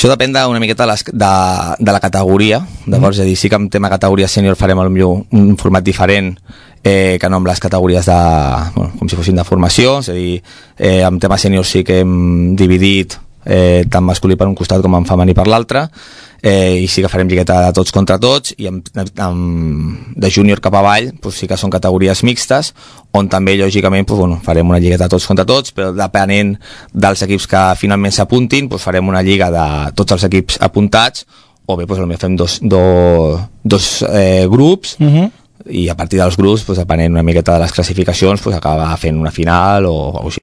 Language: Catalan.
Això depèn una miqueta de la categoria, d'acord? És a dir, sí que en tema categoria sènior farem potser un format diferent que no amb les categories com si fossin de formació, és a dir, en tema sènior sí que hem dividit tant masculí per un costat com en femení per l'altre, i sí que farem lligueta de tots contra tots, i de júnior cap avall sí que són categories mixtes, on també lògicament farem una lligueta de tots contra tots, però depenent dels equips que finalment s'apuntin farem una lliga de tots els equips apuntats, o bé potser fem dos grups, i a partir dels grups, depenent una miqueta de les classificacions, acaba fent una final o així.